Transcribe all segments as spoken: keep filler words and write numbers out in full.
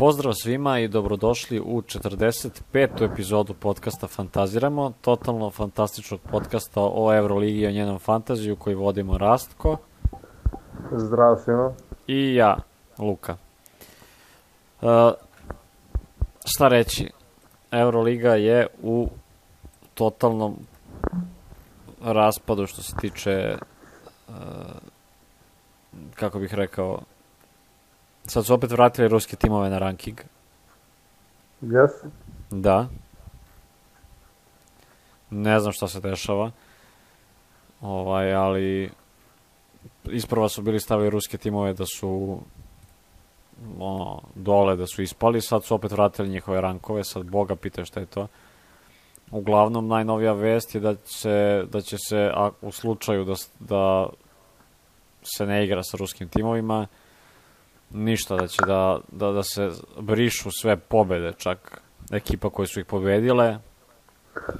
Pozdrav svima i dobrodošli u četrdeset petu epizodu podcasta Fantaziramo, totalno fantastičnog podcasta o Euroligi i o njenom fantaziju koji vodimo Rastko. Zdrav svima. I ja, Luka. Uh, šta reći? Euroliga je u totalnom raspadu što se tiče, uh, kako bih rekao, sad su opet vratili ruske timove na ranking. Yes. Da. Ne znam šta se dešava. Ovaj, ali isprva su bili stavili ruske timove da su ono, dole, da su ispali, sad su opet vratili njihove rankove, sad Boga pita šta je to. Uglavnom, najnovija vest je da će, da će se, a, u slučaju da, da se ne igra sa ruskim timovima, ništa, da će da, da, da se brišu sve pobede, čak ekipa koje su ih pobedile,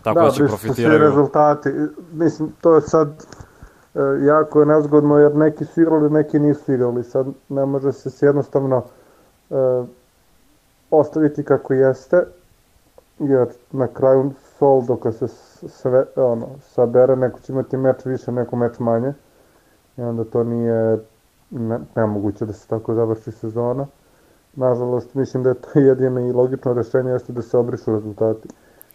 tako da, da će profitiraju. Da, brišu se rezultati. Mislim, to je sad e, jako je nezgodno, jer neki su igrali, neki nisu igrali. Sad ne može se jednostavno e, ostaviti kako jeste, jer na kraju sol, dok se sve, ono, sabere, neko će imati meč više, neko meč manje. I onda to nije Ne, nemoguće da se tako završi sezona. Nažalost, mislim da je to jedino i logično rešenje jeste da se obrišu rezultati.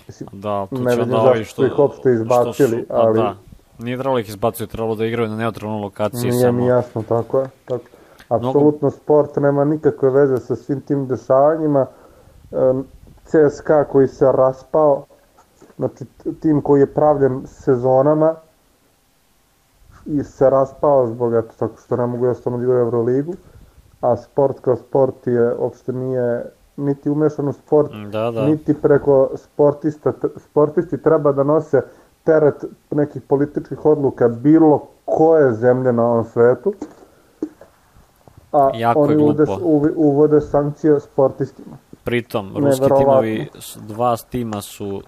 Mislim, da, tu ne će vidim da zašto što, ih uopšte izbacili, su, ali... Da, nije trebalo ih izbaciti, trebalo da igraju na neutralnoj lokaciji. Nije samo... mi jasno, tako je. Tako. Apsolutno Mnogo... sport nema nikakve veze sa svim tim dešavanjima. C S K A koji se raspao, znači tim koji je pravljen sezonama, i se raspao zbog eto tako što ne mogu jednostavno da igraju Euroligu, a sport kao sport je uopšte nije niti umešan u sport, da, da. niti preko sportista, sportisti treba da nose teret nekih političkih odluka bilo koje zemlje na ovom svetu, a jako oni uvode, uvode sankcije sportistima. Pritom, ruski timovi, dva tima su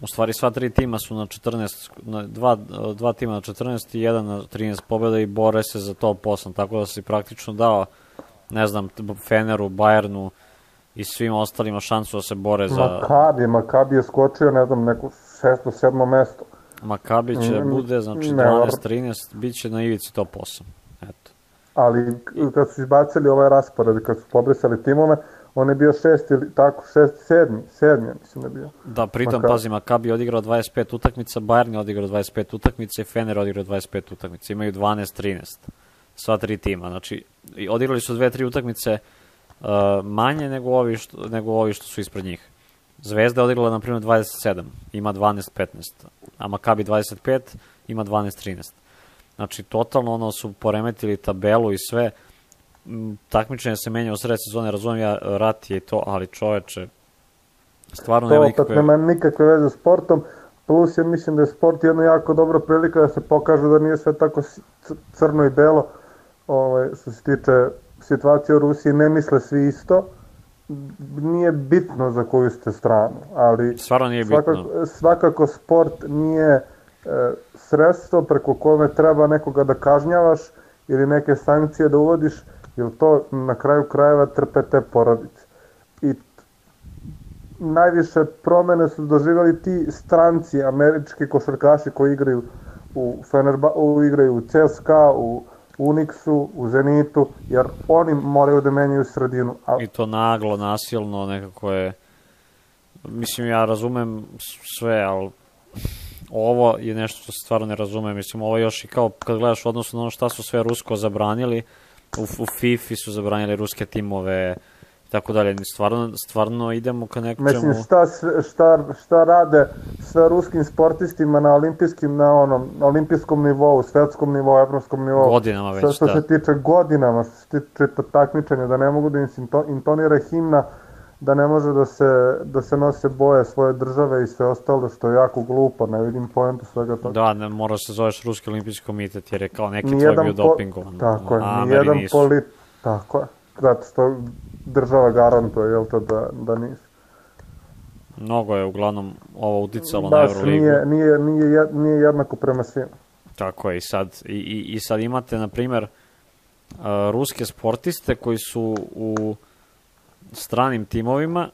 u stvari sva tri tima su na četrnaest, na dva, dva tima na četrnaest i jedan na trinaest pobjeda i bore se za top osam, tako da si praktično dao, ne znam, Feneru, Bayernu i svim ostalima šansu da se bore za... Makabi, Makabi je skočio, ne znam, neko šesto, sedmo mesto. Makabi će mm, bude, znači dvanaest trinaest, bit će na ivici top osam, eto. Ali kad su izbacili ovaj raspored, kad su pobrisali timove, on je bio šest ili tako, šest, sedmi, sedmi, mislim da je bio. Da, pritom, Makabi. Pazi, Makabi je odigrao dvadeset pet utakmica, Bayern je odigrao dvadeset pet utakmica i Fener je odigrao dvadeset pet utakmica. Imaju dvanaest trinaest, sva tri tima. Znači, odigrali su dve, tri utakmice uh, manje nego ovi, što, nego ovi što su ispred njih. Zvezda je odigrala, na primjer, dvadeset sedam, ima dvanaest petnaest, a Makabi dvadeset pet, ima dvanaest trinaest. Znači, totalno ono su poremetili tabelu i sve. Takmičenje se menja u sred sezone, razumijem ja, rat je i to, ali čoveče, stvarno nema nikakve... To opet nema nikakve veze s sportom, plus ja mislim da je sport jedna jako dobra prilika da se pokaže da nije sve tako crno i belo, ovaj, što se tiče situacije u Rusiji, ne misle svi isto, nije bitno za koju ste stranu, ali stvarno nije bitno. Svakako, svakako sport nije e, sredstvo preko kome treba nekoga da kažnjavaš ili neke sankcije da uvodiš, jer to na kraju krajeva trpe te porodice. I najviše promene su doživjeli ti stranci, američki košarkaši koji igraju u Fenerba, u, igraju u C S K A, u Unixu, u Zenitu, jer oni moraju da menjaju sredinu. A... I to naglo, nasilno, nekako je... Mislim, ja razumem sve, ali ovo je nešto što se stvarno ne razume. Mislim, ovo je još i kao kad gledaš u odnosu na ono šta su sve Rusko zabranili, u, u FIFA su zabranili ruske timove i tako dalje. Stvarno, stvarno idemo ka nečemu... Mislim, šta, šta, šta rade sa ruskim sportistima na olimpijskim, na onom, na olimpijskom nivou, svetskom nivou, evropskom nivou. Godinama već, što da. Što se tiče godinama, što se tiče takmičenja, da ne mogu da im intonira himna, da ne može da se, da se nose boje svoje države i sve ostalo, što je jako glupo, ne vidim pojentu svega toga. Da, ne mora se zoveš Ruski olimpijski komitet, jer je kao neki tvoj bio po... dopingovan. Tako je, a, nijedan polit... Tako je, zato što država garantuje, jel to, da, da nisu. Mnogo je uglavnom ovo uticalo na Euroligu. Nije, nije, nije, nije jednako prema svima. Tako je, i sad, i, i, i sad imate, na primjer, uh, ruske sportiste koji su u stranim timovima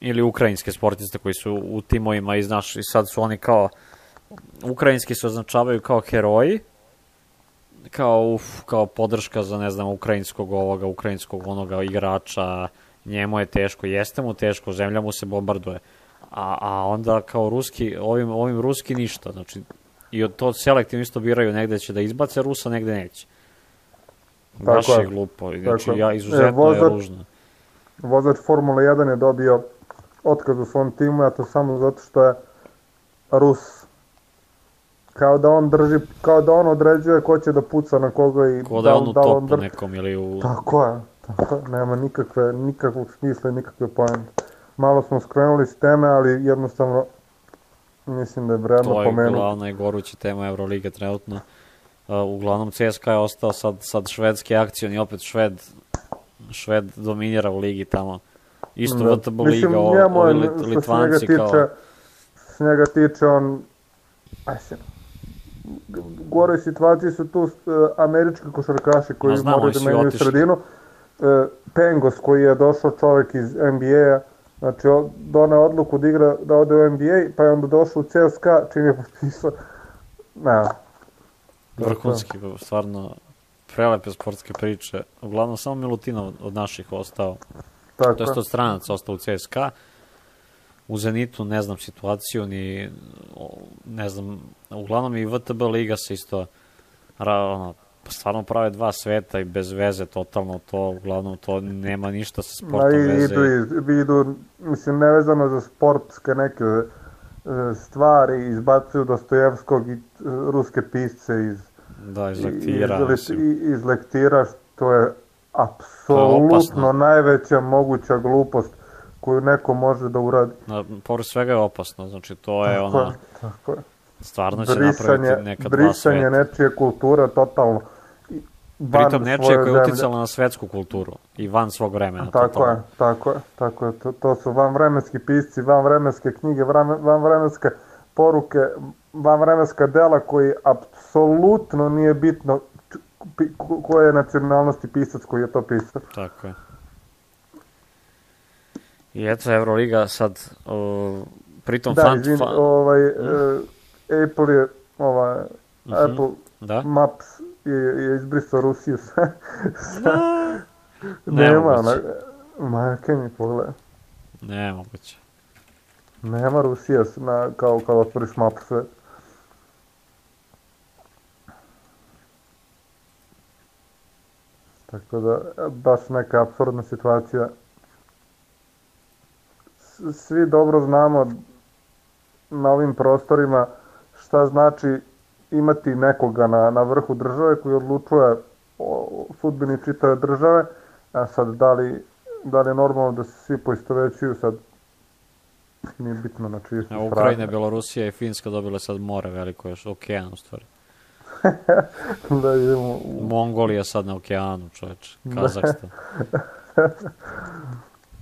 ili ukrajinske sportiste koji su u timovima i znaš, i sad su oni kao ukrajinski se označavaju kao heroji, kao uf, kao podrška za ne znam ukrajinskog ovoga, ukrajinskog onoga igrača, njemu je teško, jeste mu teško, zemlja mu se bombarduje. A, a onda kao ruski, ovim, ovim ruski ništa, znači i od to selektivno isto biraju, negde će da izbace Rusa, negde neće. Baš je glupo, znači ja, izuzetno e, vozač, je ružno. Vozač Formula jedan je dobio otkaz u svom timu, a to samo zato što je Rus. Kao da on drži, kao da on određuje ko će da puca na koga i ko da, da on u da topu dr... nekom ili u... Tako je, tako je, nema nikakve, nikakvog smisla i nikakve poente. Malo smo skrenuli s teme, ali jednostavno mislim da je vredno pomenuti. To je glavna i goruća tema Euroliga trenutno. Uh, uglavnom C S K a je ostao sad, sad švedski akcion i opet Šved, Šved dominira u ligi tamo. Isto da. V T B liga, ovi lit, Litvanci tiče, kao... S njega tiče on... Ajde, gore situaciji su tu uh, američki košarkaši koji znamo, moraju da menjaju sredinu. Uh, Pengos koji je došao čovjek iz N B A-a, znači doneo odluku da igra, da ode u N B A, pa je onda došao u C S K a, čim je potpisao. Ne. Vrhunski, stvarno prelepe sportske priče. Uglavnom samo Milutinov od naših ostao. Tako. To je od stranaca ostao u C S K a. U Zenitu ne znam situaciju, ni ne znam, uglavnom i V T B liga se isto ono, stvarno prave dva sveta i bez veze totalno to, uglavnom to nema ništa sa sportom Ma, veze. Idu, idu, mislim, nevezano za sportske neke stvari, izbacuju Dostojevskog i ruske pisce iz, da, iz lektira. Iz, iz lektira, što je apsolutno najveća moguća glupost koju neko može da uradi. Na, pored svega je opasno, znači to je tako ono... Je, tako je. Stvarno će brisanje, napraviti neka dva brisanje sveta. Brisanje nečije kulture totalno. Pritom nečije koja je uticala na svetsku kulturu i van svog vremena. Tako totalno. je, tako je, tako je. To, to su vanvremenski pisci, vanvremenske knjige, vanvremenske poruke, vanvremenska dela koji apsolutno nije bitno koje je nacionalnosti pisac koji je to pisao. Tako je. I eto, Euroliga sad, uh, pritom... Da, fan, izvin, fan... ovaj, uh, Apple je, ovaj, uh-huh. Apple da? Maps je, je izbrisao Rusiju sa... sa nema, na, majke mi pogledaj. Ne moguće. Nema Rusija na, kao, kao otvoriš mapu sve. Tako da, baš neka apsurdna situacija. Svi dobro znamo na ovim prostorima šta znači imati nekoga na, na vrhu države koji odlučuje o sudbini čitave države, a sad da li, da li je normalno da se svi poistovećuju, sad nije bitno na čiji su strane. Ukrajina, Belorusija i Finska dobile sad more veliko, još okean u stvari. Da idemo u... Mongolija sad na okeanu, čoveče, Kazahstan.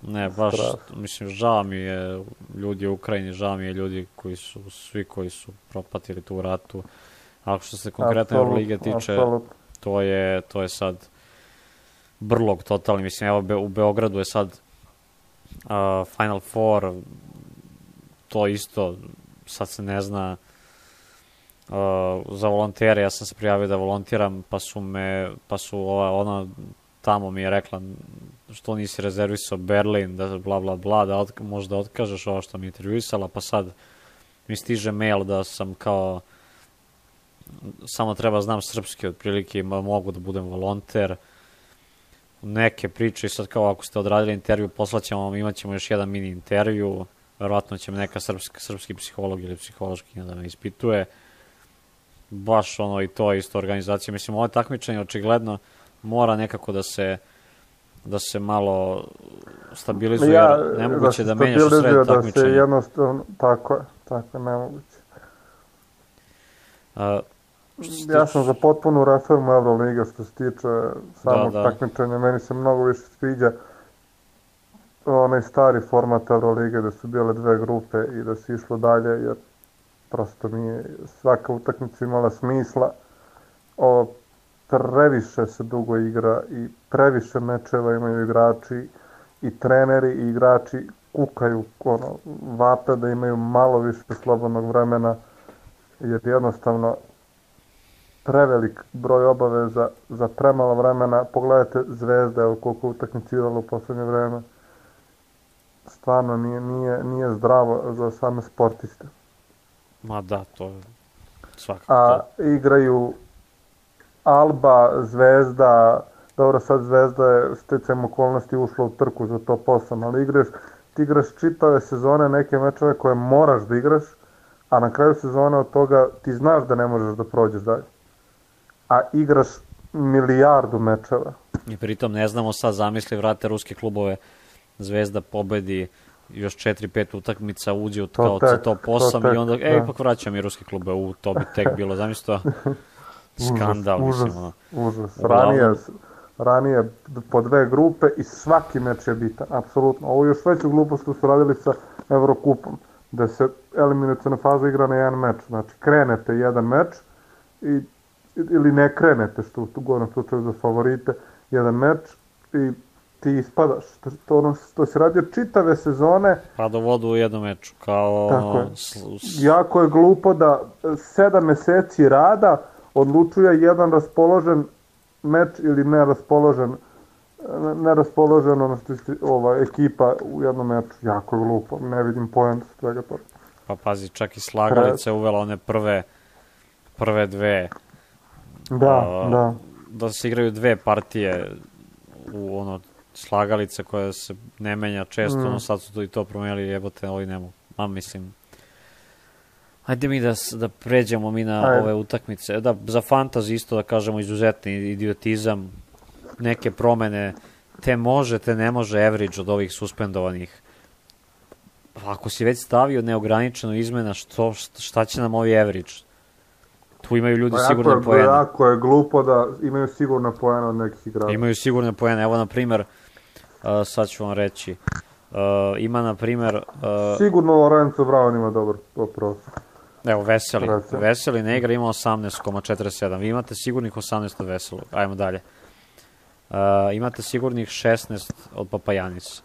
Ne, baš, Strašno. Mislim, žao mi je ljudi u Ukrajini, žao mi je ljudi koji su, svi koji su propatili tu ratu. Ali što se konkretno Euroliga tiče, absolut. to je, to je sad brlog totalni. Mislim, evo Be, u Beogradu je sad uh, Final Four, to isto, sad se ne zna, uh, za volontere, ja sam se prijavio da volontiram, pa su me, pa su ova, ona tamo mi je rekla što nisi rezervisao Berlin, da bla bla bla, da od, možda otkažeš ovo što mi je intervjuisala, pa sad mi stiže mail da sam kao samo treba znam srpski otprilike i mogu da budem volonter. Neke priče i sad kao ako ste odradili intervju, poslaćemo vam, imat ćemo još jedan mini intervju, verovatno će me neka srpski, srpski psiholog ili psihološkinja da me ispituje. Baš ono i to isto organizacija. Mislim, ovo takmičenje očigledno mora nekako da se da se malo stabilizuje, ja, jer nemoguće da, da menjaš u sred takmičenja. Da se jednostavno, tako je, tako je, nemoguće. A, ja sam za potpunu reformu Euroliga što se tiče samog da, da. takmičenja, meni se mnogo više sviđa onaj stari format Eurolige da su bile dve grupe i da se išlo dalje, jer prosto mi je svaka utakmica imala smisla. O, previše se dugo igra i previše mečeva imaju igrači i treneri i igrači kukaju, ono, vape da imaju malo više slobodnog vremena, jer jednostavno prevelik broj obaveza za premalo vremena. Pogledajte Zvezda, evo koliko utakmica igrala u poslednje vreme. Stvarno nije, nije, nije zdravo za same sportiste. Ma da, to je svakako A to. igraju Alba, Zvezda, dobro sad Zvezda je sticajem okolnosti ušla u trku za top osam, ali igraš, ti igraš čitave sezone neke mečeve koje moraš da igraš, a na kraju sezone od toga ti znaš da ne možeš da prođeš dalje. A igraš milijardu mečeva. I pritom ne znamo sad, zamisli, vrate ruske klubove, Zvezda pobedi još četiri pet utakmica, uđe u To kao tek, top to osam tek, i onda, da. e, ipak vraćam i ruske klube, u, to bi tek bilo, zamisli to, skandal, užas, mislim, ono. užas. Uglavnom- Ranije, ranije po dve grupe i svaki meč je bitan, apsolutno. Ovo još veću glupost su radili sa Evrokupom, da se eliminaciona faza igra na jedan meč. Znači, krenete jedan meč i, ili ne krenete, što u gornjem slučaju za favorite, jedan meč i ti ispadaš. To, to, ono, to se radio čitave sezone. Pa do vodu u jednom meču, kao Tako ono, je. sl- s- Jako je glupo da sedam meseci rada odlučuje jedan raspoložen meč ili neraspoložen neraspoložen ono što je ova ekipa u jednom meču. Jako je glupo, ne vidim poenta svega toga. pa pazi, čak i Slagalica je uvela one prve, prve dve, Da, a, da. da se igraju dve partije u ono, Slagalica koja se ne menja često, Mm. ono sad su to i to promenili, jebote, ovi ne mogu. Ma mislim, ajde mi da, s- da pređemo mi na Ajde. ove utakmice. Da, za fantasy isto da kažemo izuzetni idiotizam, neke promene, te može, te ne može average od ovih suspendovanih. Ako si već stavio neograničeno izmena, što, šta će nam ovi average? Tu imaju ljudi Pa sigurno jako, je, poene. jako je glupo da imaju sigurno poena od nekih igrača. Imaju sigurne poene. Evo, na primer, uh, sad ću vam reći, uh, ima, na primer, uh, Sigurno Lorenzo Brown ima dobar prostor. evo, Veseli. Recimo. Veseli ne igra, ima osamnaest zarez četrdeset sedam. Vi imate sigurnih osamnaest od Veselog. Ajmo dalje. Uh, imate sigurnih šesnaest od Papajanisa.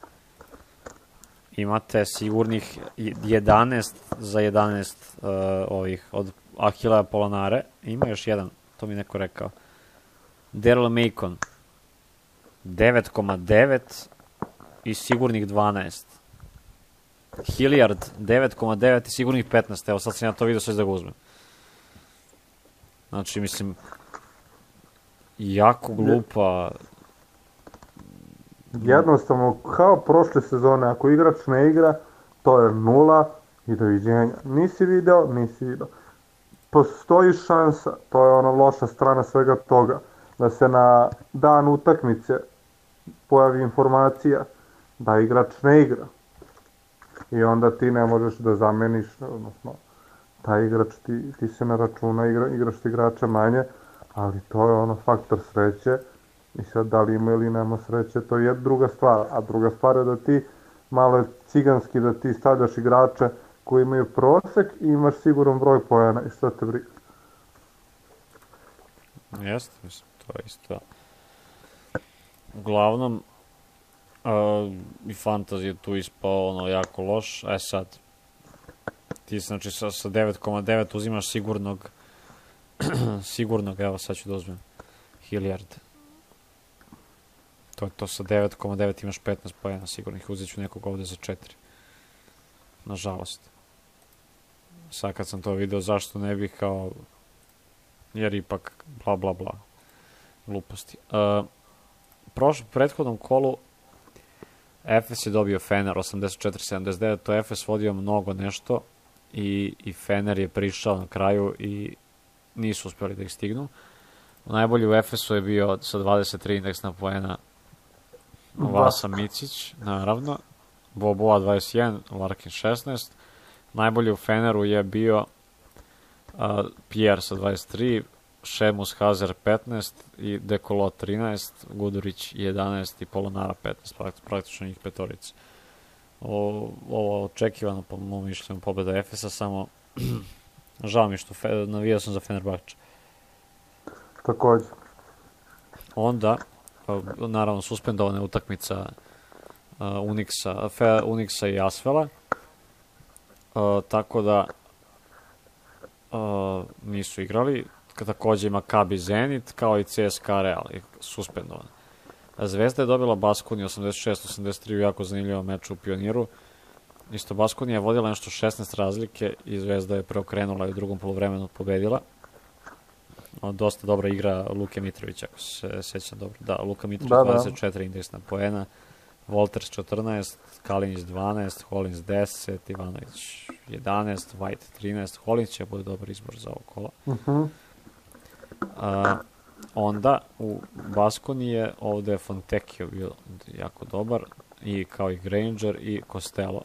Imate sigurnih jedanaest za jedanaest uh, ovih od Ahila Polonare. Ima još jedan, to mi je neko rekao. Daryl Macon devet zarez devet i sigurnih dvanaest. Hilliard devet zarez devet i sigurnih petnaest. Evo sad sam ja to vidio, sad ću da ga uzmem. Znači, mislim, jako glupa. Jednostavno, kao prošle sezone, ako igrač ne igra, to je nula i doviđenja. Nisi video, nisi video. Postoji šansa, to je ona loša strana svega toga, da se na dan utakmice pojavi informacija da igrač ne igra. I onda ti ne možeš da zameniš, odnosno, taj igrač ti, ti se na računa, igra, igraš ti igrača manje, ali to je ono faktor sreće. I sad da li ima ili nema sreće, to je druga stvar. A druga stvar je da ti malo je ciganski da ti stavljaš igrače koji imaju prosek i imaš siguran broj poena i što te briga. Jeste, mislim, to je isto. Uglavnom, uh, i fantasy je tu ispao ono jako loš. E sad, ti znači sa, sa devet zarez devet uzimaš sigurnog, sigurnog, evo sad ću da uzmem, Hilliard. To je to, sa devet zarez devet imaš petnaest pojena sigurnih, uzet ću nekog ovde za četiri. Nažalost. Sad kad sam to video, zašto ne bih kao, jer ipak bla bla bla, gluposti. Uh, prošlo, prethodnom kolu Efes je dobio Fener osamdeset četiri sedamdeset devet, to je Efes vodio mnogo nešto i, i Fener je prišao na kraju i nisu uspeli da ih stignu. Najbolji u Efesu je bio sa dvadeset tri indeksna poena Vasa Micić, naravno, Boboa dvadeset jedan, Larkin šesnaest. Najbolji u Feneru je bio uh, Pierre sa dvadeset tri, Šemus Hazer petnaest i Dekolo trinaest, Gudurić jedanaest i Polonara petnaest, praktično njih petorica. O, ovo očekivano po mom mišljenju pobeda Efesa, samo žao mi što fe, navijao sam za Fenerbahče. Takođe. Onda, naravno, suspendovana je utakmica Unixa, Fe, Unixa i Asvela. Uh, tako da uh, nisu igrali. Takođe ima Maccabi Zenit, kao i C S K A Real, suspendovan. Zvezda je dobila Baskoniju osamdeset šest osamdeset tri u jako zanimljivom meču u Pioniru. Isto Baskonija je vodila nešto šesnaest razlike i Zvezda je preokrenula i u drugom poluvremenu pobedila. O, dosta dobra igra Luke Mitrovića, ako se sećam dobro. Da, Luka Mitrović da, dvadeset četiri da. Indeksna poena, Walters četrnaest, Kalinić dvanaest, Hollins deset, Ivanović jedanaest, White trinaest. Hollins će bude dobar izbor za ovo kola. Uh-huh. A, onda u Baskoni je ovde Fontecchio bio jako dobar, i kao i Granger i Costello.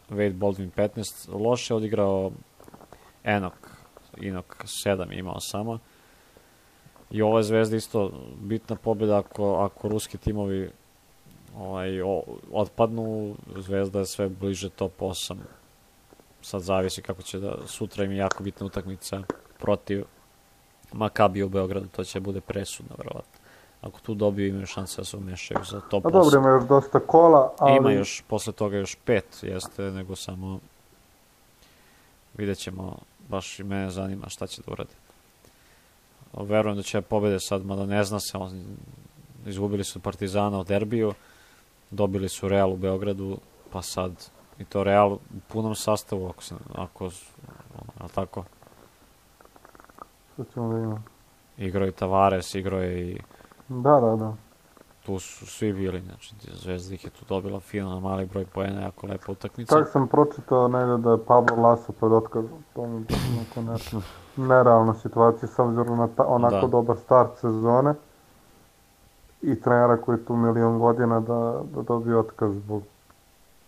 Wade Baldwin petnaest, loše odigrao Enok, Inok sedam imao samo. I ova je Zvezda isto bitna pobjeda ako, ako ruski timovi ovaj, o, otpadnu, Zvezda je sve bliže top osam. Sad zavisi kako će da, sutra im je jako bitna utakmica protiv Maccabi u Beogradu, to će bude presudno verovatno. Ako tu dobiju, imaju šanse da se umešaju za top osam. A dobro, ima još dosta kola, ali... Ima još, posle toga još pet, jeste, nego samo vidjet ćemo, baš i mene zanima šta će da uradi. Verujem da će pobede sad, mada ne zna se, on, izgubili su Partizana u derbiju, dobili su Real u Beogradu, pa sad i to Real u punom sastavu, ako se, ako, ali tako? Što ćemo da imamo? Igrao je Tavares, igrao je i... Da, da, da. Tu su svi bili, znači Zvezda ih je tu dobila fino, mali broj poena, jako lepa utakmica. Tako sam pročitao negde da je Pablo Laso pred otkazom, to mi je neko nerealna situacija s obzirom na ta, onako da. dobar start sezone i trenera koji je tu milion godina da, da dobije otkaz zbog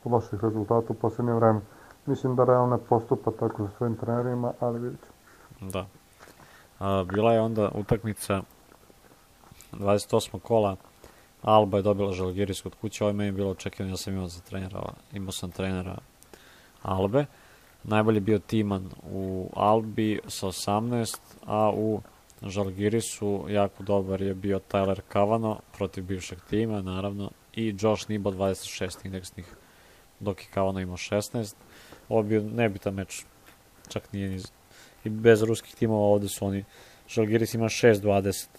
loših rezultata u poslednje vreme. Mislim da Real ne postupa tako za svojim trenerima, ali vidjet ćemo. Da. A, bila je onda utakmica dvadeset osmog kola, Alba je dobila Žalgiris kod kuće, ovo je meni bilo očekivano, ja sam imao za trenera, imao sam trenera Albe. Najbolji bio Timan u Albi sa osamnaest, a u Žalgirisu jako dobar je bio Tyler Cavano protiv bivšeg tima, naravno, i Josh Nibo dvadeset šest indeksnih, dok je Cavano imao šesnaest. Ovo je bio nebitan meč, čak nije ni... I bez ruskih timova ovde su oni, Žalgiris ima šest dvadeset,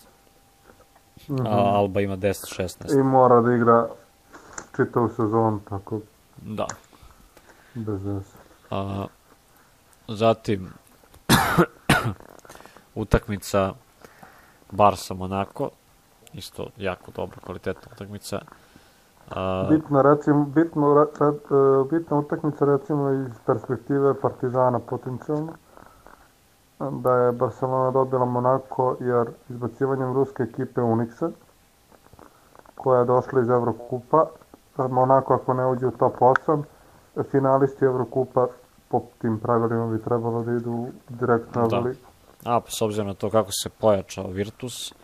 mm-hmm. a Alba ima deset šesnaest. I mora da igra čitavu sezonu, tako... Da. Bez veze. A, zatim, utakmica Barsa Monako, isto jako dobra, kvalitetna utakmica. A... Bitna, recimo, bitno, re, bitna utakmica, recimo, iz perspektive Partizana potencijalno, da je Barcelona dobila Monako, jer izbacivanjem ruske ekipe Unixa, koja je došla iz Evrokupa, Monako ako ne uđe u top osam, finalisti Evrokupa po tim pravilima bi trebalo da idu direktno na Euroligu. A, pa s obzirom na to kako se pojačao Virtus,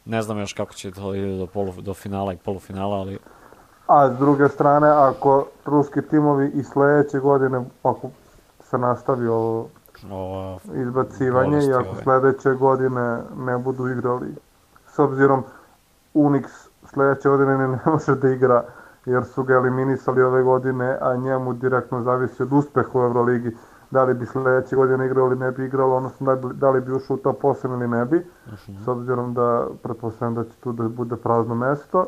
ne znam još kako će to ide do, polu, do finala i polufinala, ali... A s druge strane, ako ruski timovi i sledeće godine, ako se nastavi ovo o, izbacivanje i ako ove. sledeće godine ne budu igrali, s obzirom Unix sledeće godine ne, ne može da igra jer su ga eliminisali ove godine, a njemu direktno zavisi od uspeha u Euroligi, da li bi sledeće godine igrao ili ne bi igrao, odnosno da li bi ušao u top osam ili ne bi, uh-huh. s obzirom da pretpostavljam da će tu da bude prazno mesto.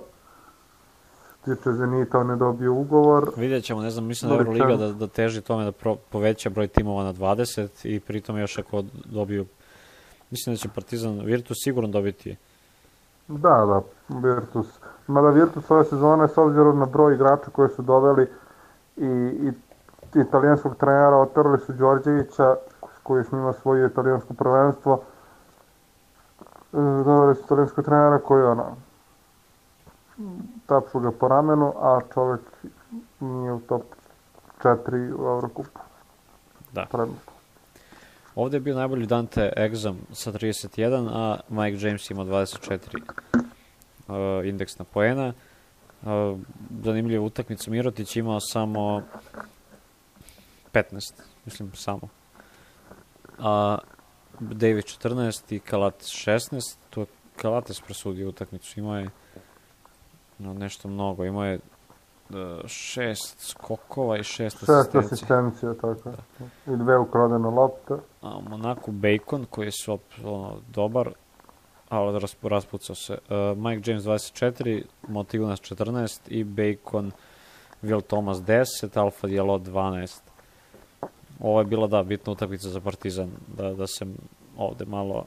Tiče Zenita, on je dobio ugovor. Vidjet ćemo, ne znam, mislim da Euroliga da, da teži tome da pro, poveća broj timova na dvadeset i pritom još ako dobiju, mislim da će Partizan, Virtus sigurno dobiti. Da, da, Virtus. Mada Virtus ove sezone, s obzirom na broj igrača koje su doveli i, i italijanskog trenera, oterali su Đorđevića, koji je s njima svoje italijansko prvenstvo, doveli su italijanskog trenera koji je ono, tapšu ga po ramenu, a čovjek nije u top četiri u Evrokupu. Da. Prednosti. Ovdje je bio najbolji Dante Exum sa trideset jedan, a Mike James ima dvadeset četiri uh, indeksna poena. Uh, zanimljiva utakmica, Mirotić imao samo petnaest, mislim samo. A Davis četrnaest i Kalates šesnaest, to je Kalates presudio utakmicu, imao je no, nešto mnogo, imao je šest skokova i šest Šest asistencija. asistencija, tako. Da. I dve ukradene lopte. A u Monaku Bacon, koji je svop, ono, dobar, ali ras, raspucao se. Uh, Mike James dvadeset četiri, Motivunas četrnaest i Bacon, Will Thomas deset, Alfa Diallo dvanaest. Ovo je bila, da, bitna utakmica za Partizan, da, da se ovde malo...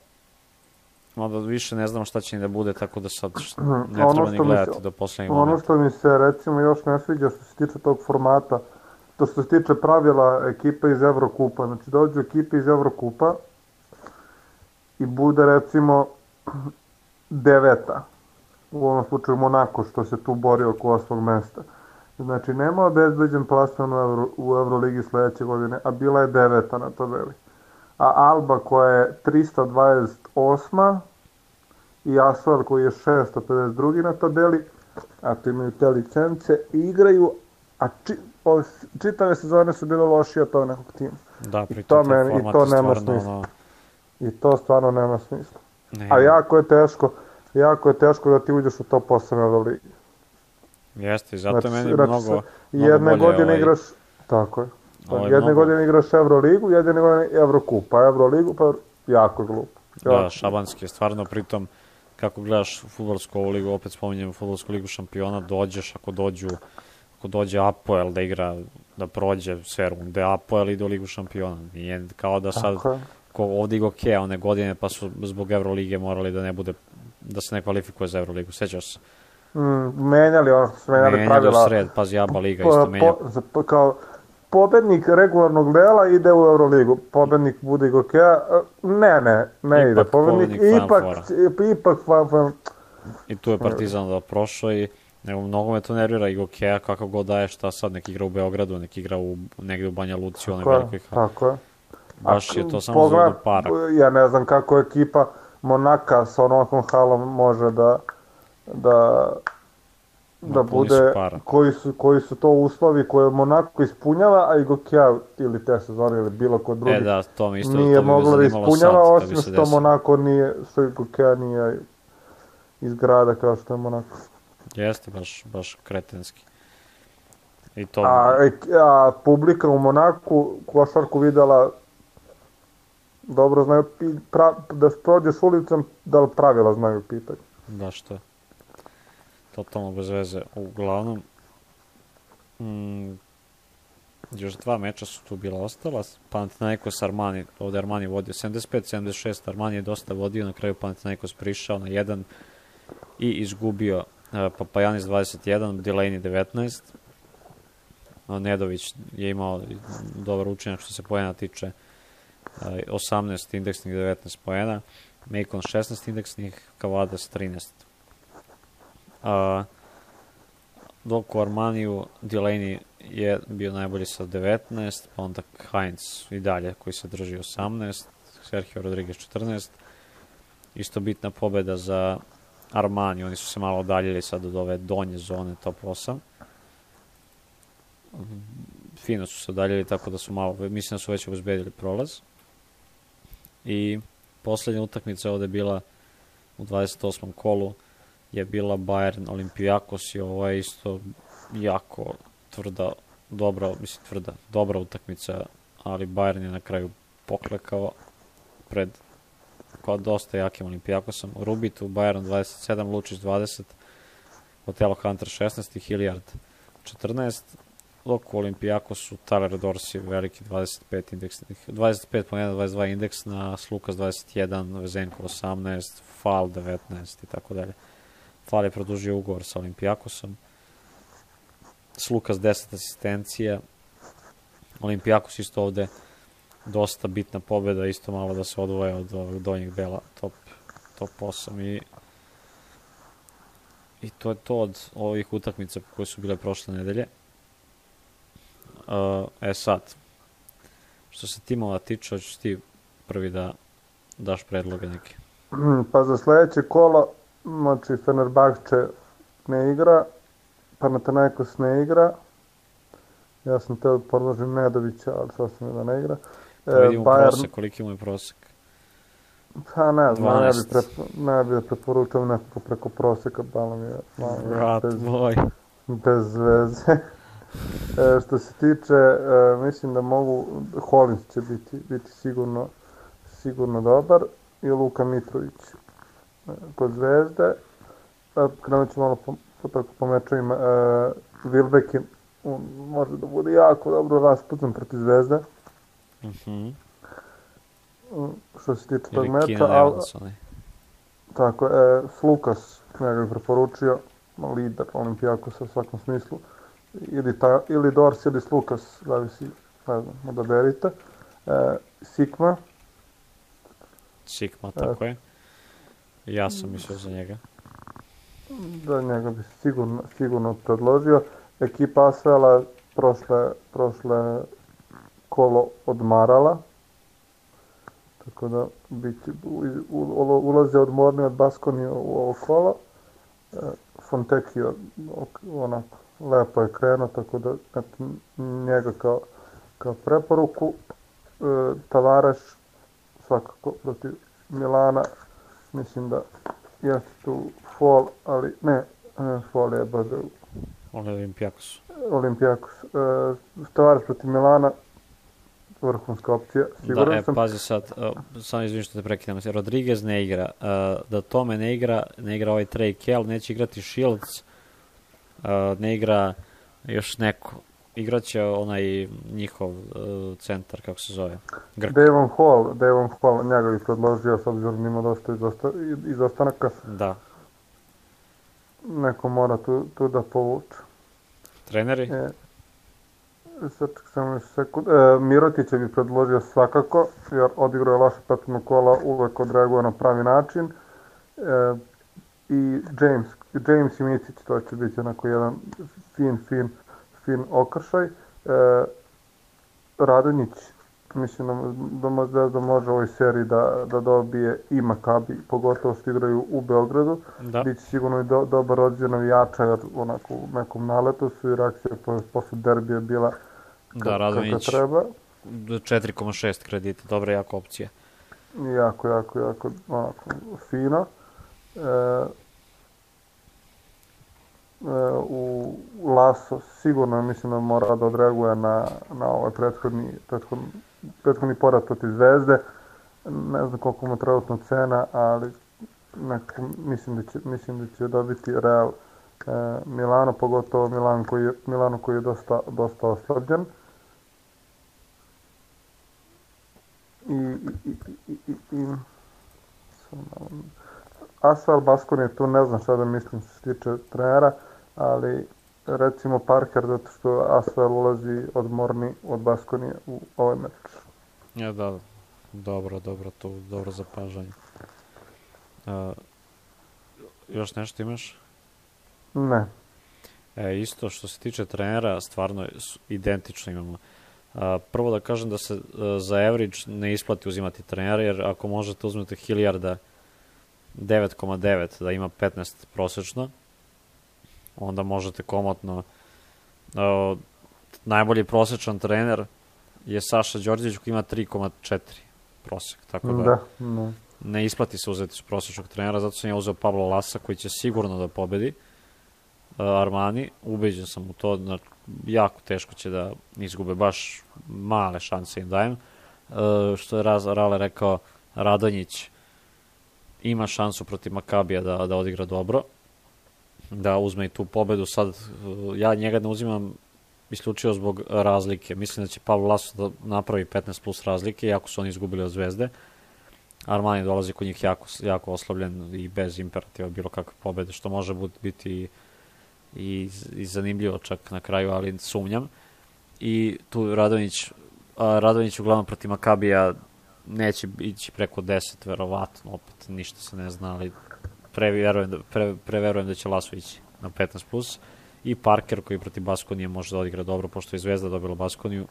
Onda više ne znamo šta će ni da bude, tako da sad ne treba ni gledati se, do poslednjeg momenta. Ono što mi se recimo još ne sviđa što se tiče tog formata, to što se tiče pravila ekipe iz Evrokupa. Znači dođu ekipe iz Evrokupa i bude recimo deveta. U ovom slučaju Monako što se tu bori oko osmog mesta. Znači nema obezbeđen plasman u, Euro, u Euroligi sledeće godine, a bila je deveta na tabeli. A Alba koja je trista dvadeset osma i Asvel koji je šesto pedeset drugi na tabeli, ako imaju te licence, igraju, a či, o, čitave sezone su bile lošije od tog nekog tima. Da, pritom taj format je stvarno... Ono... I to stvarno nema smisla. Ne, a jako je teško, jako je teško da ti uđeš u top osam Euroligi. Jeste, i zato znači, je meni mnogo, mnogo jedne bolje godine ovaj... igraš, tako je. Ovaj jedne mnogo... godine igraš Euroligu, jedne godine Evrokup, pa Euroligu, pa jako glupo. Da, šabanski je stvarno, pritom kako gledaš fudbalsku ovu ligu, opet spominjem fudbalsku ligu šampiona, dođeš, ako dođu, ako dođe Apoel da igra, da prođe sve runde, Apoel ide u ligu šampiona. Nije kao da sad, ko ovdje igo Kea one godine, pa su zbog Evrolige morali da ne bude, da se ne kvalifikuje za Evroligu, sećaš se? Mm, menjali ono, su menjali, menjali pravila. Menjali u sred, pazi, Aba Liga isto menja. Po, kao, pobednik regularnog dela ide u Euroligu, pobednik bude Igokea, ne, ne, ne ide, pobednik, ipak, ipak, ipak, i tu je Partizan da prošao i nego mnogo me to nervira Igokea, kako god daje, šta sad, nek igra u Beogradu, nek igra u, negde u Banja Luci, onaj velikoj hali. Tako je. Baš je to samo pogled, za para. Ja ne znam kako ekipa Monaka sa onokom halom može da, da, da bude, koji su, koji su to uslovi koje Monako ispunjava, a Igokea ili te sezone ili bilo kod drugi e, da, to mi isto, nije to moglo da ispunjava, osim što Monako nije, što Igokea nije iz grada kao što je Monako. Jeste, baš, baš kretenski. I to... A, a publika u Monaku košarku videla dobro znaju, pra, da prođeš ulicom, da li pravila znaju pitanje. Da, što je. Totalno bez veze. Uglavnom, mm, još dva meča su tu bila ostala. Panathinaikos Armani, ovde Armani vodio sedamdeset pet sedamdeset šest, Armani je dosta vodio, na kraju Panathinaikos prišao na jedan i izgubio uh, Papajanis dvadeset jedan, Delaney devetnaest. Nedović je imao dobar učinak što se poena tiče, osamnaest indeksnih, devetnaest poena, Macon šesnaest indeksnih, Kavadas trinaest. Uh, dok u Armaniju Delaney je bio najbolji sa devetnaest, pa onda Heinz i dalje koji se drži osamnaest, Sergio Rodriguez četrnaest. Isto bitna pobeda za Armani, oni su se malo odaljili sad od ove donje zone top osam. Fino su se odaljili, tako da su malo, mislim da su već obezbedili prolaz. I poslednja utakmica ovde je bila u dvadeset osmom kolu, je bila Bayern Olympiakos i ovo je isto jako tvrda, dobra, mislim tvrda, dobra utakmica, ali Bayern je na kraju poklekao pred kao dosta jakim Olympiakosom. Rubit u Bayern dvadeset sedam, Lučić dvadeset, Otelo Hunter šesnaest i Hilliard četrnaest, dok u Olympiakosu Tyler Dorsey veliki dvadeset pet indeksnih, dvadeset pet po jedan, dvadeset dva indeksna, Slukas dvadeset jedan, Vezenko osamnaest, Fal devetnaest i tako dalje. Fal je produžio ugovor sa Olympiakosom, Slukas deset asistencija, Olympiakos isto ovde dosta bitna pobeda, isto malo da se odvoje od ovog donjeg dela top, top osam i i to je to od ovih utakmica koje su bile prošle nedelje. Uh, e sad, što se timova tiče, hoćeš ti prvi da daš predloge neke? Pa za sledeće kolo, znači Fenerbahče ne igra, Panathinaikos ne igra, ja sam teo da podložim Nedovića, ali sasvim je da ne igra. Pa vidimo Bayern... prosek, koliki mu je prosek? Pa ne znam, ne bi, prepo, ne bi da preporučam nekako preko proseka, malo mi je... Vrat moj. bez veze. E, što se tiče, e, mislim da mogu, Hollins će biti, biti sigurno, sigurno dobar i Luka Mitrović e, kod Zvezde. E, krenut ću malo po, po, tako po mečovima. E, Wilbekin može da bude jako dobro raspucan protiv Zvezde. Mm-hmm. Što se tiče ili tog meča. Keenan Evans, onaj. Tako, e, Slukas, ja ga preporučio, lider Olimpijakosa u svakom smislu. Ili, ta, ili Dors ili Slukas, zavisi, ne znam, odaberite. E, Sikma. Sikma, tako e, je. Ja sam mislio za njega. Da, njega bi sigurno, sigurno predložio. Ekipa Asvela prošle, prošle kolo odmarala. Tako da biti, u, u, ulaze odmorni od Baskonije u ovo kolo. E, Fontekio onako lepo je krenuo, tako da eto, njega kao, kao preporuku. E, Tavares svakako protiv Milana, mislim da jeste tu Fall, ali ne, ne Fall je B D U. Olimpijakos. Olimpijakos. E, Tavares protiv Milana, vrhunska opcija, siguran da, e, sam. pazi sad, uh, samo izvinim što te prekidam, Rodriguez ne igra, uh, da Tome ne igra, ne igra ovaj Trey Kell, neće igrati Shields, uh, ne igra još neko, igraće onaj njihov uh, centar, kako se zove, Grk. Devon Hall, Devon Hall, njega bi predložio, s obzirom ima dosta izosta, izostanaka. Da. Neko mora tu, tu da povuče. Treneri? E, sad samo još sekund. E, Mirotića bi predložio svakako, jer odigrao je loše petno kola, uvek odreaguje na pravi način. E, I James, James i Micić, to će biti onako jedan fin, fin, fin okršaj. E, Radonjić, mislim da, da, da, da može u ovoj seriji da, da dobije i Makabi, pogotovo što igraju u Beogradu. Da. Biće sigurno i do, dobar odziv navijača, jer onako u nekom naletu su i reakcija posle derbija bila ka, da, Radonjić, kako treba. četiri zarez šest kredita, dobra jako opcija. Jako, jako, jako onako fino. E, u Laso sigurno mislim da mora da odreaguje na, na ovaj prethodni, prethodni, prethodni poraz protiv Zvezde. Ne znam koliko mu trenutno cena, ali neko, mislim, da će, mislim da će dobiti Real e, Milano, pogotovo Milan koji je, Milano koji je dosta, dosta oslabljen. I, i, i, i, i, Asvel Baskoni tu ne znam šta da mislim što se tiče trenera, ali recimo Parker, zato što Asvel ulazi odmorni od Baskonije u ovaj meč. Ja, da, dobro, dobro, to dobro zapažanje. Uh, još nešto imaš? Ne. E, isto što se tiče trenera, stvarno identično imamo. Uh, prvo da kažem da se uh, za average ne isplati uzimati trenera, jer ako možete uzmete Hilliarda devet zarez devet, da ima petnaest prosečno, onda možete komotno. Uh, najbolji prosečan trener je Saša Đorđević koji ima tri zarez četiri prosek, tako da, da ne. ne isplati se uzeti prosečnog trenera, zato sam ja uzeo Pablo Lasa koji će sigurno da pobedi uh, Armani, ubeđen sam u to, da jako teško će da izgube, baš male šanse im dajem. Uh, što je Raz, Rale rekao, Radonjić ima šansu protiv Makabija da, da odigra dobro, da uzme i tu pobedu. Sad, ja njega ne uzimam isključivo zbog razlike. Mislim da će Pavlo Laso da napravi petnaest plus razlike, iako su oni izgubili od Zvezde. Armani dolazi kod njih jako, jako oslabljen i bez imperativa bilo kakve pobede, što može biti i, i, i zanimljivo čak na kraju, ali sumnjam. I tu Radonjić, Radonjić uglavnom protiv Makabija neće ići preko deset, verovatno, opet ništa se ne zna, ali preverujem da, pre, preverujem da će Laso ići na petnaest plus. I Parker koji protiv Baskonije može da odigra dobro, pošto je Zvezda dobila Baskoniju,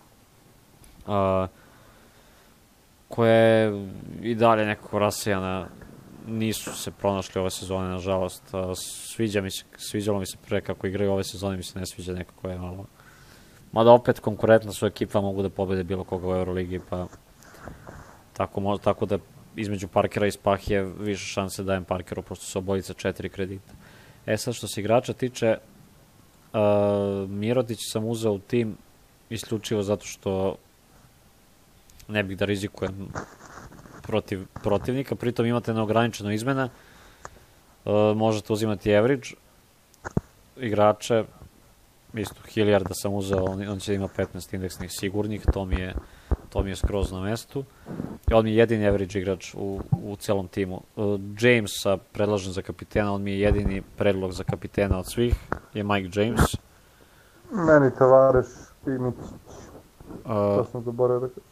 a, koja je i dalje nekako rasejana, nisu se pronašli ove sezone, nažalost. A, sviđa mi se, sviđalo mi se pre kako igraju ove sezone, mi se ne sviđa nekako je malo. Mada opet konkurentna su ekipa, mogu da pobede bilo koga u Euroligi, pa tako, tako da između Parkera i Spahije više šanse dajem Parkeru, pošto su obojica četiri kredita. E sad, što se igrača tiče, Uh, Mirotić sam uzeo u tim isključivo zato što ne bih da rizikujem protiv protivnika, pritom imate neograničeno izmena, uh, možete uzimati average igrače, isto Hilliarda sam uzeo, on, on će da ima petnaest indeksnih sigurnih, to mi je, to mi je skroz na mestu. I on mi je jedini average igrač u, u celom timu. Uh, Jamesa predlažem za kapitena, on mi je jedini predlog za kapitena od svih, je Mike James. Meni Tavares i Micić. Uh, To sam zaboravio da kažem.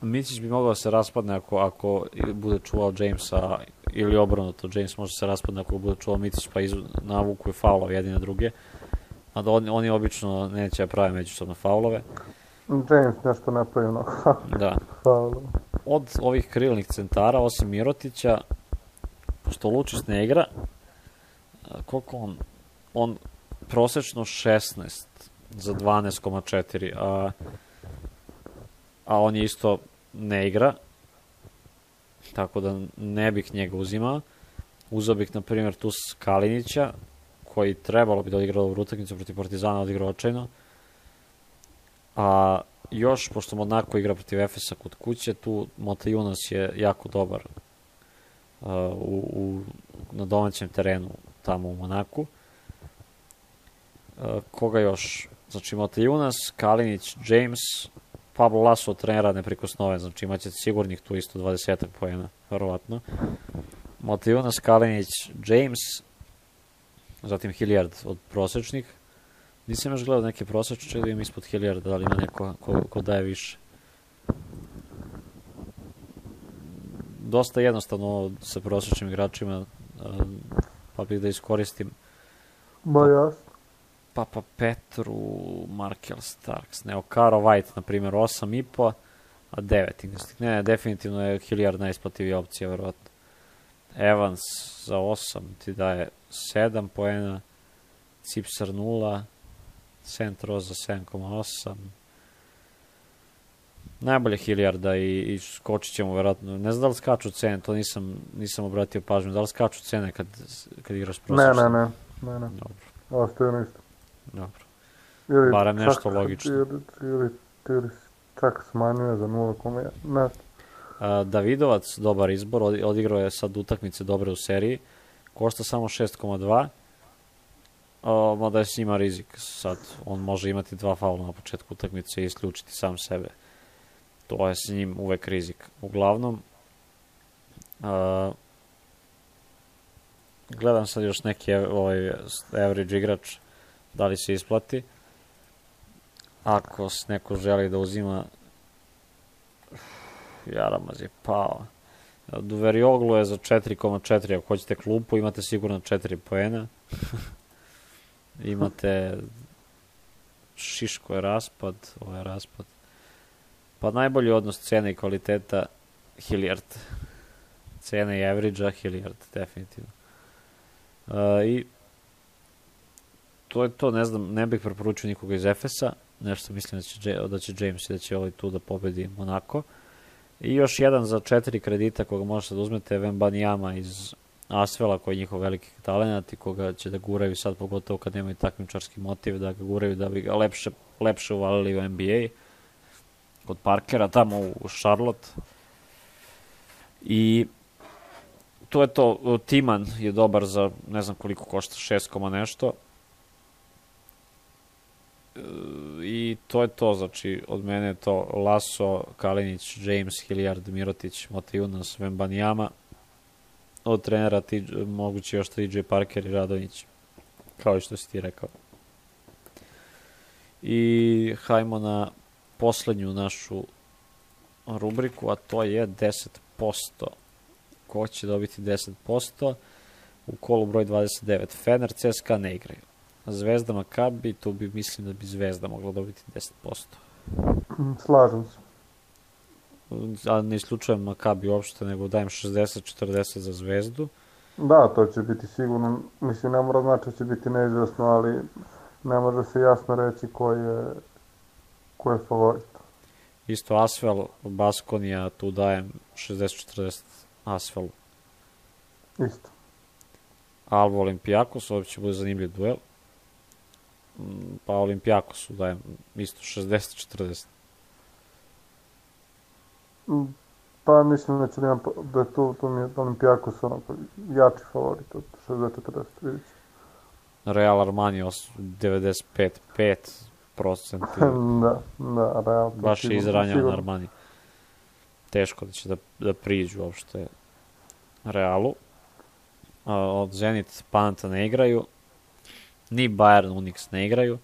Micić bi mogao da se raspadne ako, ako bude čuvao Jamesa, ili obrnuto, James može se raspadne ako bude čuvao Micić, pa iz, navuku je faulove jedine druge. A da on, oni obično neće da prave međusobno faulove. James nešto napravio mnogo. Da. Faulova. Od ovih krilnih centara, osim Mirotića, pošto Lučić ne igra, koliko on, on prosečno šesnaest za dvanaest zarez četiri, a, a on je isto ne igra, tako da ne bih njega uzimao. Uzeo bih, na primjer, tu Kalinića, koji trebalo bi da odigra ovu utakmicu protiv Partizana, odigrao očajno. A još, pošto Monako igra protiv Efesa kod kuće, tu Matajunas je jako dobar uh, u, u, na domaćem terenu tamo u Monaku. Uh, koga još? Znači Matajunas, Kalinić, James, Pablo Laso trenera neprikosnoven, znači imaće sigurnih tu isto dvadeset poena, verovatno. Matajunas, Kalinić, James, zatim Hilliard od prosečnih. Nisam još gledao neke prosečne, da imam ispod Hilliarda, da li ima neko ko, ko daje više. Dosta jednostavno sa prosečnim igračima, pa bih da iskoristim. Ba jasno. Papa Petru, Markel Starks, ne, Okaro White, na primjer, osam i po, a devet. Ne, definitivno je Hilliard najisplativija opcija, verovatno. Evans za osam ti daje sedam poena, Cipsar nula, Centro za sedam zarez osam. Najbolje Hilliarda i, i skočit ćemo verovatno. Ne znam da li skaču cene, to nisam, nisam obratio pažnju. Da li skaču cene kad, kad igraš prosječno? Ne, ne, ne. ne, ne. Dobro. Ostaje na isto. Dobro. Ili Barem nešto čak, logično. Ili, ili, ili čak smanjuje za nula zarez jedan. Uh, Davidovac, dobar izbor, odigrao je sad utakmice dobre u seriji, košta samo šest zarez dva, uh, mada je s njima rizik sad, on može imati dva faula na početku utakmice i isključiti sam sebe, to je s njim uvek rizik. Uglavnom, uh, gledam sad još neki ovaj, average igrač, da li se isplati, ako neko želi da uzima, Jaramaz je pao. Duverioglu je za četiri zarez četiri, ako hoćete klupu, imate sigurno četiri poena. Imate Šiško je raspad, ovo je raspad. Pa najbolji odnos cene i kvaliteta Hilliard. Cene i average-a Hilliard, definitivno. Uh, I to je to, ne znam, ne bih preporučio nikoga iz Efesa, nešto mislim da će, da će James i da će ovaj tu da pobedi Monako. I još jedan za četiri kredita koga možete da uzmete, Wembanyama iz Asvela, koji je njihov veliki talent i koga će da guraju sad, pogotovo kad nemaju takmičarski motiv, da ga guraju da bi ga lepše, lepše uvalili u N B A kod Parkera tamo u Charlotte. I to je to. Timan je dobar za, ne znam koliko košta, šest koma nešto. I to je to, znači od mene je to Laso, Kalinić, James, Hilliard, Mirotić, Matajunas, Wembanyama, od trenera ti, moguće još T J Parker i Radonjić, kao i što si ti rekao. I hajmo na poslednju našu rubriku, a to je deset posto. Ko će dobiti deset posto? U kolu broj dvadeset devet. Fener, C S K A ne igraju. Zvezda, Makabi, tu bi, mislim da bi Zvezda mogla dobiti deset posto. Slažem se. A ne isključujem Makabi uopšte, nego dajem šezdeset četrdeset za Zvezdu. Da, to će biti sigurno, mislim, ne mora znači da će biti neizvesno, ali ne može se jasno reći ko je, ko je favorit. Isto Asvel, Baskonija, tu dajem šezdeset četrdeset Asvelu. Isto. Alba, Olimpijakos, ovdje će bude zanimljiv duel. pa Olimpijakosu dajem isto šezdeset četrdeset. Pa mislim da će da, imam, da je tu, tu mi je Olimpijakos onako jači favorit od šezdeset četrdeset, vidite. Real Armani devedeset pet zarez pet procenti. da, da, Real. Baš je izranjan Armani. Teško da će da, da priđu uopšte Realu. A, od Zenit Panata ne igraju. Ni Bayern Unix ne igraju.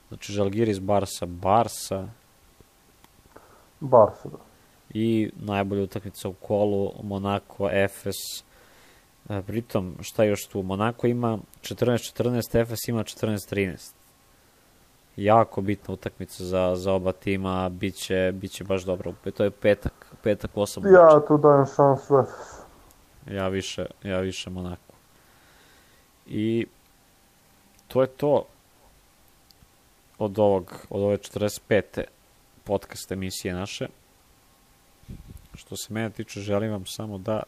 Znači Žalgiris Barsa Barsa. Barsa, da. I najbolja utakmica u kolu Monako Efes. E, pritom, šta još tu? Monako ima četrnaest četrnaest, Efes ima četrnaest trinaest. Jako bitna utakmica za, za oba tima, biće, biće baš dobro. To je petak, petak osam. Ja tu dajem šansu Efes. Ja više, ja više Monako. I to je to od ovog, od ove četrdeset pete podcast emisije naše. Što se mene tiče, želim vam samo da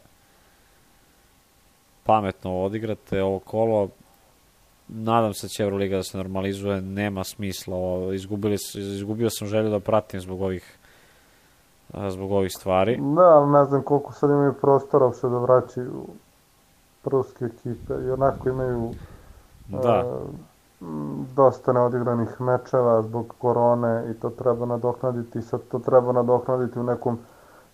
pametno odigrate ovo kolo. Nadam se da će Euroliga da se normalizuje, nema smisla. Izgubili, izgubio sam želju da pratim zbog ovih zbog ovih stvari. Da, ali ne znam koliko sad imaju prostora uopšte da vraćaju ruske ekipe. I onako imaju da. Uh, dosta neodigranih mečeva zbog korone i to treba nadoknaditi. Sad to treba nadoknaditi u nekom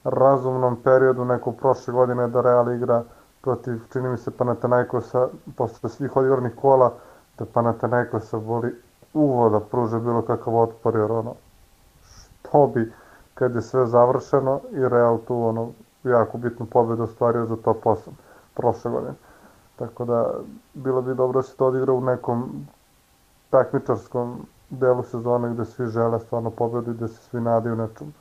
razumnom periodu, neko prošle godine da Real igra protiv, čini mi se, Panathinaikosa posle svih odigranih kola, da Panathinaikosa voli uvo da pruže bilo kakav otpor, jer ono, što bi kad je sve završeno i Real tu ono jako bitnu pobedu ostvario za top osam prošle godine. Tako da bilo bi dobro da se to odigra u nekom takmičarskom delu sezone gde svi žele stvarno pobedu i gde se svi nadaju nečemu.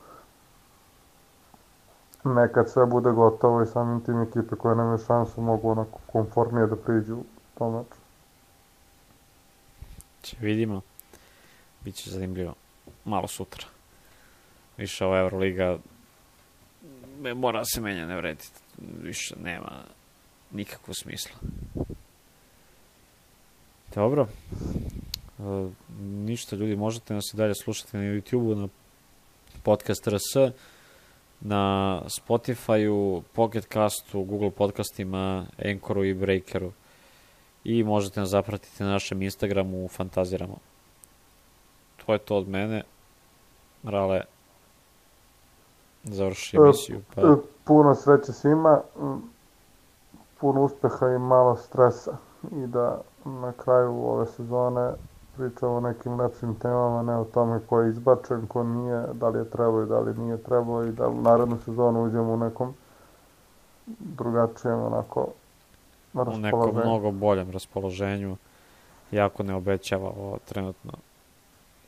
Nekad sve bude gotovo i samim tim ekipe koje nemaju šansu mogu onako konformnije da priđu u tom meču. Če vidimo. Biće zanimljivo. Malo sutra. Više ova Euroliga mora se menja, ne vredi. Više nema nikakvog smisla. Dobro. E, ništa, ljudi, možete nas i dalje slušati na YouTube-u, na podcast R S, na Spotify-u, Pocket Castu, Google podcastima, Anchoru i Breakeru. I možete nas zapratiti na našem Instagramu, Fantaziramo. To je to od mene. Rale, završi emisiju. Pa... Puno sreće svima, puno uspeha i malo stresa i da na kraju ove sezone pričamo o nekim lepšim temama, ne o tome ko je izbačen, ko nije, da li je trebao i da li nije trebao i da u narednu sezonu uđemo u nekom drugačijem onako u nekom mnogo boljem raspoloženju. Jako ne obećava ovo trenutno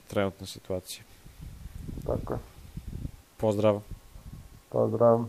trenutna situacija. Tako je. Pozdrav. Pozdrav.